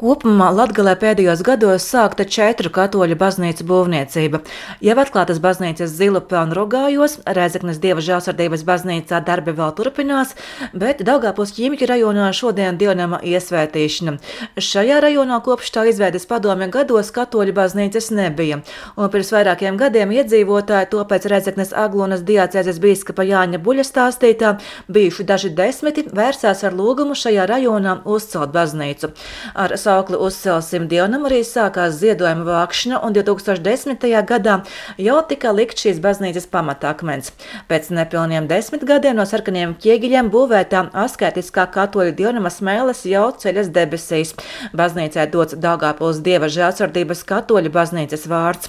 Kopumā Latgalē pēdējos gados sākta 4 katoļu baznīcu būvniecība. Jau atklātas baznīcas Zilupē un Rugājos, Rēzeknes Dieva Žēlsirdības baznīcā darbi vēl turpinās, bet Daugavpils Ķīmju rajonā šodien dievnama iesvētīšana. Šajā rajonā kopš tā izveides padomju gados katoļu baznīcas nebija, un pirms vairākiem gadiem iedzīvotāji to pēc Rēzeknes Aglonas diacēzes bīskapa Jāņa Buļa stāstītā, bijuši daži desmiti, vērsās ar lūgumu šajā rajonā uzcelt baznīcu. Ar saukli Uzcelsim dievnamu arī sākās ziedojuma vākšana, un 2010. gadā jau tika likt šīs baznīcas pamatakmens. Pēc nepilniem 10 gadiem no sarkaniem ķieģeļiem būvētā asketiskā katoļu dievnama smēles jau ceļas debesīs. Baznīcai dots Daugavpils Dieva Žēlsirdības katoļu baznīcas vārds.